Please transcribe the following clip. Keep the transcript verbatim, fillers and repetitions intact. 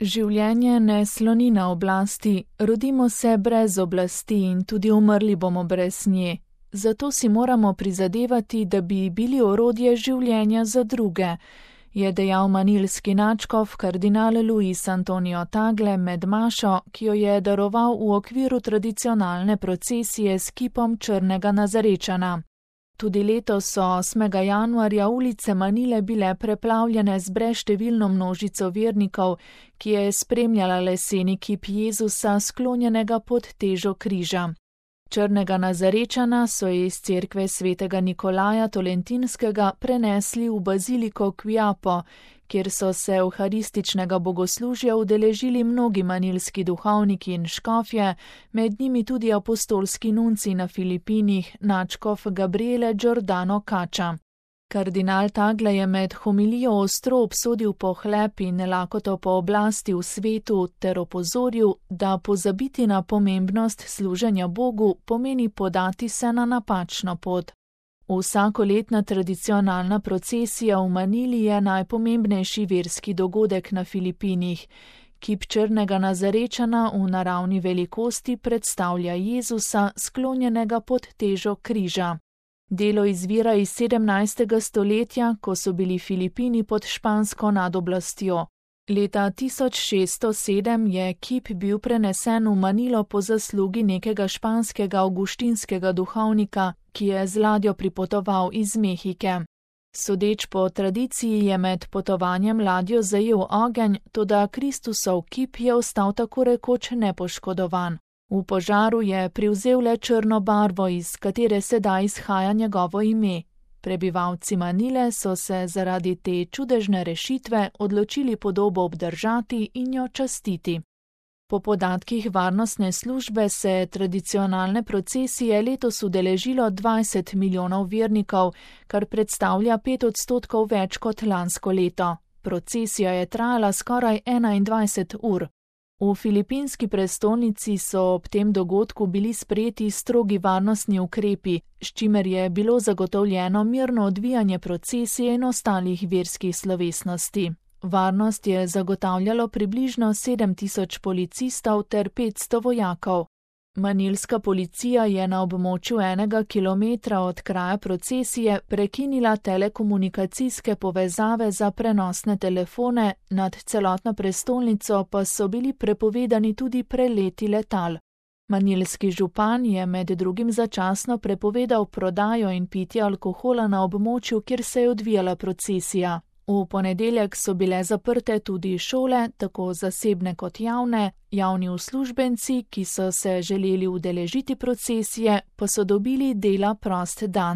Življenje ne sloni na oblasti, rodimo se brez oblasti in tudi umrli bomo brez nje. Zato si moramo prizadevati, da bi bili orodje življenja za druge, je dejal manilski nadškof kardinal Luis Antonio Tagle med mašo, ki jo je daroval v okviru tradicionalne procesije s kipom črnega Nazarečana. Tudi letos so osmega januarja ulice Manile bile preplavljene z brezštevilno množico vernikov, ki je spremljala leseni kip Jezusa sklonjenega pod težo križa. Črnega Nazarečana so iz cerkve svetega Nikolaja Tolentinskega prenesli v baziliko Quiapo, kjer so se evharističnega bogoslužja udeležili mnogi manilski duhovniki in škofje, med njimi tudi apostolski nunci na Filipinih, nadškof Gabriele Giordano Caccia. Kardinal Tagle je med homilijo ostro obsodil pohlep in lakoto po oblasti v svetu ter opozoril, da pozabiti na pomembnost služenja Bogu pomeni podati se na napačno pot. Vsakoletna tradicionalna procesija v Manili je najpomembnejši verski dogodek na Filipinih. Kip črnega Nazarečana v naravni velikosti predstavlja Jezusa sklonjenega pod težo križa. Delo izvira iz sedemnajstega stoletja, ko so bili Filipini pod špansko nadoblastjo. Leta tisoč šeststo sedem je kip bil prenesen v Manilo po zaslugi nekega španskega avguštinskega duhovnika, ki je z ladjo pripotoval iz Mehike. Sodeč po tradiciji je med potovanjem ladjo zajel ogenj, toda Kristusov kip je ostal tako rekoč nepoškodovan. V požaru je privzel le črno barvo, iz katere sedaj izhaja njegovo ime. Prebivalci Manile so se zaradi te čudežne rešitve odločili podobo obdržati in jo častiti. Po podatkih varnostne službe se tradicionalne procesije letos udeležilo dvajset milijonov vernikov, kar predstavlja pet odstotkov več kot lansko leto. Procesija je trajala skoraj enaindvajset ur. V filipinski prestolnici so ob tem dogodku bili sprejeti strogi varnostni ukrepi, s čimer je bilo zagotovljeno mirno odvijanje procesije in ostalih verskih slovesnosti. Varnost je zagotavljalo približno sedem tisoč policistov ter petsto vojakov. Manilska policija je na območju enega kilometra od kraja procesije prekinila telekomunikacijske povezave za prenosne telefone, nad celotno prestolnico pa so bili prepovedani tudi preleti letal. Manilski župan je med drugim začasno prepovedal prodajo in pitje alkohola na območju, kjer se je odvijala procesija. V ponedeljek so bile zaprte tudi šole, tako zasebne kot javne, javni uslužbenci, ki so se želeli udeležiti procesije, pa so dobili dela prost dan.